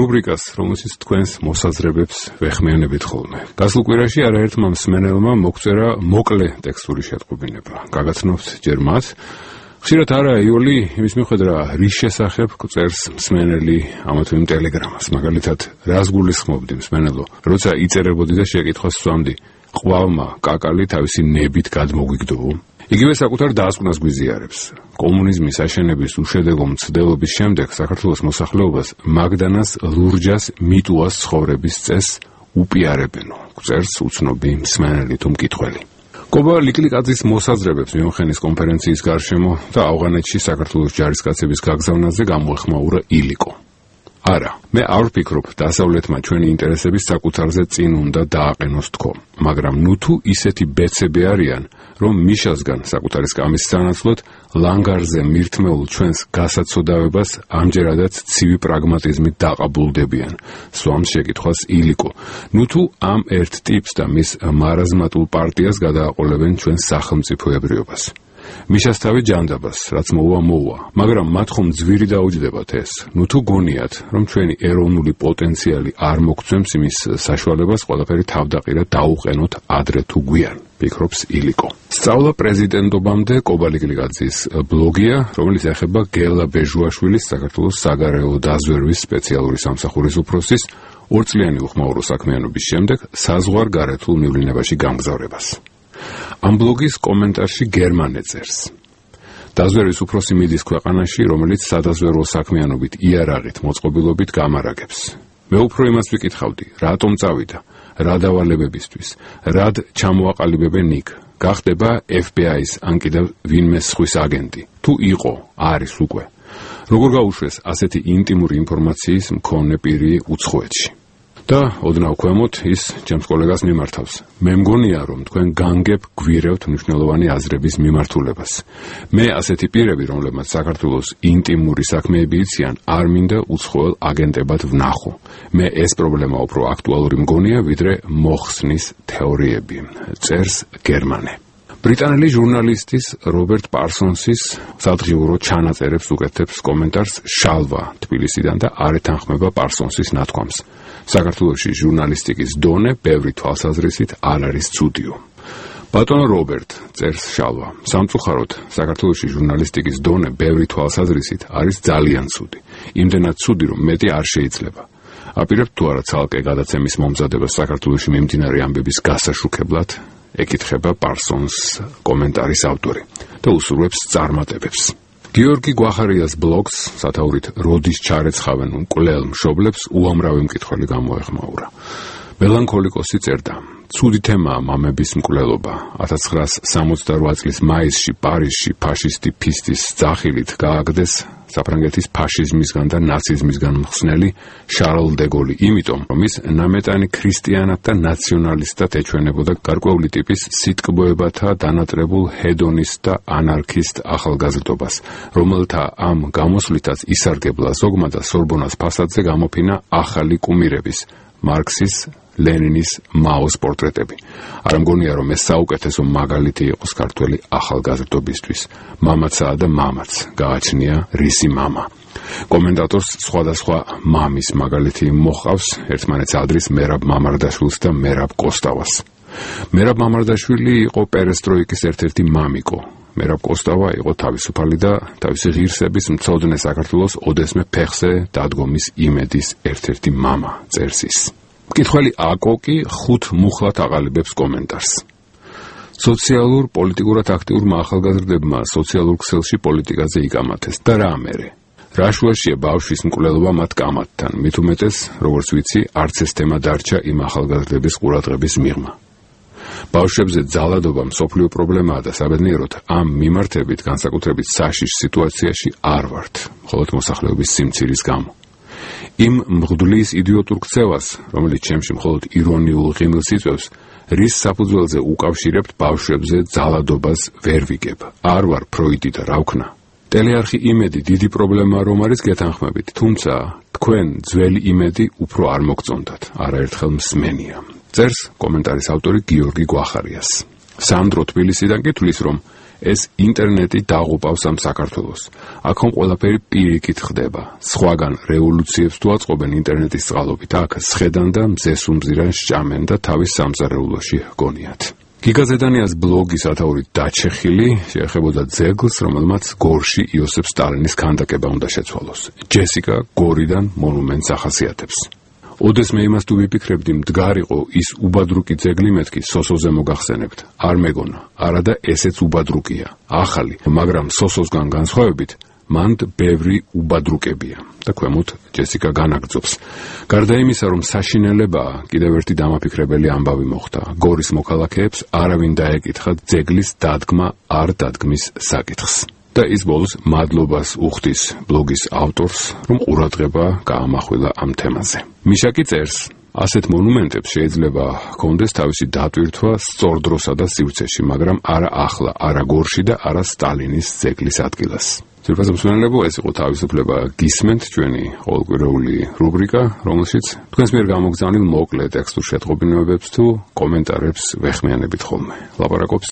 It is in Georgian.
რუბრიკას, რომელშიც თქვენს მოსაზრებებს ვეხმიანებით ხოლმე. გასულ კვირაში არაერთმა მსმენელმა მოგწერა მოკლე ტექსტური შეტყობინება. გაგაცნობთ ჯერ მათ. ხშირად არა იოლი იმის მიხედვა რის შესახებ წერს მსმენელი ამა თუ იმ ტელეგრამას. მაგალითად, რას გულისხმობდი მსმენელო, როცა იწერებოდი და შეკითხვას სვამდი, ყვალმა კაკალი თავისი ნებით გადმოგვიგდო? იგივე საკუთარ დასკვნას გვიზიარებს. კომუნიზმის აშენების უშედეგო მცდელობის შემდეგ საქართველოს მოსახლეობას მაგდანას ლურჯას მიტუას ცხოვრების წესს უპიარებენო. წერს უცნობი მსმენელი თუ მკითხველი. კობა ლიკლიკაძის მოსაზრებებს მიუხედავად კონფერენციის გარშემო და ავღანეთში საქართველოს ჯარისკაცების გაგზავნაზე გამოეხმაურა ილიკო. არა, მე არ ვფიქრობ, დასავლეთმა ჩვენი ინტერესების საკუთარზე წინ უნდა დააყენოს თქო, მაგრამ ნუ თუ ისეთი ბეცები არიან, რომ მიშასგან საკუთარი სკამის სანაცვლოდ ლანგარზე მირთმეულ ჩვენს გასაცოდავებას ამჯერადაც ცივი პრაგმატიზმით დაყაბულდებიან. სვამს შეკითხვას ილიკო. ნუ თუ ამ ერთ ტიპს და მის მარაზმატულ პარტიას გადააყოლებენ ჩვენს სახელმწიფოებრიობას. მიშასთავი ჯანდაბას, რაც მოუვა, მაგრამ მათ ხომ ძვირი დაუჯდებათ ეს. ნუ თუ გონიათ, რომ ჩვენი ეროვნული პოტენციალი არ მოგცემს იმის საშუალებას ყველაფერი თავდაყირა დაუყენოთ ადრე თუ გვიან, ფიქრობს ილიკო. სწავლა პრეზიდენტობამდე კობა ლიკლიკაძის ბლოგია, რომელიც ეხება გელა ბეჟუაშვილის საქართველოს საგარეო დაზვერვის სპეციალური სამსახურის უფროსის 2 წლიანი უხმაურო საქმიანობის შემდეგ საზღვარგარეთულ მივლინებაში გამგზავრებას. ამ ბლოგის კომენტარში გერმანე წერს. დაზვერვის უფროსი მიდის ქვეყანაში, რომელიც სადაზვერვო საქმიანობით იარაღით მოწყობილობით გამარაგებს. მე უფრო იმას ვიკითხავდი, რატომ წავიდა, რა დავალებებისთვის, რად ჩამოაყალიბებენ იქ, გახდება FBI-ის ან კიდევ ვინმე სხვის აგენტი, თუ იყო, არის უკვე. როგორ გაუშვეს ასეთი ინტიმური ინფორმაციის მქონე პირი უცხოეთში. და ოდნავ ქვემოთ ის ჩემს კოლეგას მიმართავს. მე მგონია, რომ თქვენ განგებ გვირევთ მნიშვნელოვანი აზრების მიმართულებას. მე ასეთი პირები, რომლებმაც საქართველოს ინტიმური საქმეები იციან, არ მინდა უცხოელ აგენტებად ვნახო. მე ეს პრობლემა უფრო აქტუალური მგონია, ვიდრე მოხსნის თეორიები. წერს გერმანე. ბრიტანელი ჟურნალისტის რობერტ პარსონსის სადღიურო ჩანაწერებს უკეთებს კომენტარს შალვა თბილისიდან და არ ეთანხმება პარსონსის ნათქვამს. საქართველოში ჟურნალისტიკის დონე ბევრი თვალსაზრისით არ არის ცუდიო. ბატონო რობერტ, წერს შალვა, სამწუხაროდ საქართველოში ჟურნალისტიკის დონე ბევრი თვალსაზრისით არის ძალიან ცუდი. იმდენად ცუდი, რომ მეტი არ შეიძლება. აპირებთ თუ არა ცალკე გადაცემის მომზადებას საქართველოში მიმდინარე ამბების გასაშუქებლად, ეკითხება პარსონს კომენტარის ავტორი და უსურვებს წარმატებებს. გიორგი გვახარიას ბლოგს, სათაურით როდის ჩარეცხავენ მკვლელ მშობლებს, უამრავი მკითხველი გამოეხმაურა. მელანქოლიკოსი წერდა, ცუდი თემაა მამების მკვლელობა. 1968 წლის მაისში პარიზში ფაშისტი ფისტის ძახილით გააგდეს საფრანგეთის ფაშიზმისგან და ნაციზმისგან მხსნელი შარლ დე გოლი, იმიტომ რომ ის ნამეტანი ქრისტიანად და ნაციონალისტად ეჩვენებოდა გარკვეული ტიპის სიტკბოებათა დანატრებულ ჰედონისტ და ანარქისტ ახალგაზრდობას, რომელთა ამ გამოსვლითაც ისარგებლა ზოგმა და სორბონას ფასადზე გამოფინა ახალი კუმირების, მარქსის, ლენინის, მაოს პორტრეტები. არ მგონია, რომ ეს საუკეთესო მაგალითი იყოს ქართველი ახალგაზრდობისთვის. მამაცაა და მამაც, გააჩნია რისი მამა. კომენტატორს სხვადასხვა მამის მაგალითი მოჰყავს, ერთმანეთს ადრის მერაბ მამარდაშვილს და მერაბ კოსტავას. მერაბ მამარდაშვილი იყო პერესტროიკის ერთ-ერთი მამიკო. მერაბ კოსტავა იყო თავისუფალი და თავისი ღირსების მცოდნე საქართველოს ოდესმე ფეხზე დადგომის იმედის ერთ-ერთი მამა, წერს ის. მკითხველი აკოკი 5 მუხლად აყალიბებს კომენტარს. სოციალურ პოლიტიკურად აქტიურმა ახალგაზრდებმა სოციალურ ქსელში პოლიტიკაზე იკამათეს და რა ამერე. რა შუაშია ბავშვის მკვლელობა მათ კამათთან, მით უმეტეს, როგორც ვიცი, არც ეს თემა დარჩა იმ ახალგაზრდების ყურადღების მიღმა. ბავშვებზე ძალადობა მსოფლიო პრობლემაა და საბედნიეროდ ამ მიმართებით განსაკუთრებით საშიშ სიტუაციაში არ ვართ, მხოლოდ მოსახლეობის სიმცირის გამო. იმ მღვდლის იდიოტურ ქცევას, რომელიც ჩემში მხოლოდ ირონიულ ღიმილს იწვევს, რის საფუძველზე უკავშირებთ ბავშვებზე ძალადობას ვერ ვიგებ. არ ვარ ფროიდი და რა ვქნა. ტელეარხი იმედი დიდი პრობლემაა, რომ არის გეთანხმებით, თუმცა თქვენ ძველი იმედი უფრო არ მოგწონდათ, არაერთხელ მსმენია. წერს კომენტარის ავტორი გიორგი გვახარიას. სანდრო თბილისიდან კი თვლის, რომ ეს ინტერნეტი დაღუპავს ამ საქართველოს. აქ ყველაფერი პირიქით ხდება. სხვაგან რევოლუციებს თუ აწყობენ ინტერნეტის წყალობით, აქ სხედან და მზეს უმზირან სჭამენ და თავის სამზარეულოში გონიათ. გიგა ზედანიას ბლოგი სათაურით დაჩეხილი შეეხებოდა ძეგლს, რომელმაც გორში იოსებ სტალინის ქანდაკება უნდა შეცვალოს. ჯესიკა გორიდან მონუმენტს ახასიათებს. ოდეს მე იმას თუ ვიფიქრებდი, მდგარიყო ის უბადრუკი ძეგლი, მეთქი სოსოზე მოგახსენებთ. არ მეგონა, არადა ესეც უბადრუკია. ახალი, მაგრამ სოსოსგან განსხვავებით, მანდ ბევრი უბადრუკებია და ქვემოთ ჯესიკა განაგრძობს. გარდა იმისა, რომ საშინელებაა, კიდევ ერთი დამაფიქრებელი ამბავი მოხდა. გორის მოქალაქეებს არავინ დაეკითხა ძეგლის დადგმა არ დადგმის საკითხს. და ის ბოლოს მადლობას უხდის ბლოგის ავტორს, რომ ყურადღება გაამახვილა ამ თემაზე. მიშაკი წერს, ასეთ მონუმენტებს შეიძლება ჰქონდეს თავისი დატვირთვა სწორ დროსა და სივრცეში, მაგრამ არა ახლა, არა გორში და არა სტალინის ძეგლის ადგილას. ძვირფასო მსმენელებო, ეს იყო თავისუფლება გისმენთ, ჩვენი ყოველკვირეული რუბრიკა, რომელშიც თქვენს მიერ გამოგზავნილ მოკლე ტექსტურ შეტყობინებებს თუ კომენტარებს ვეხმიანებით ხოლმე. ლაპარაკობს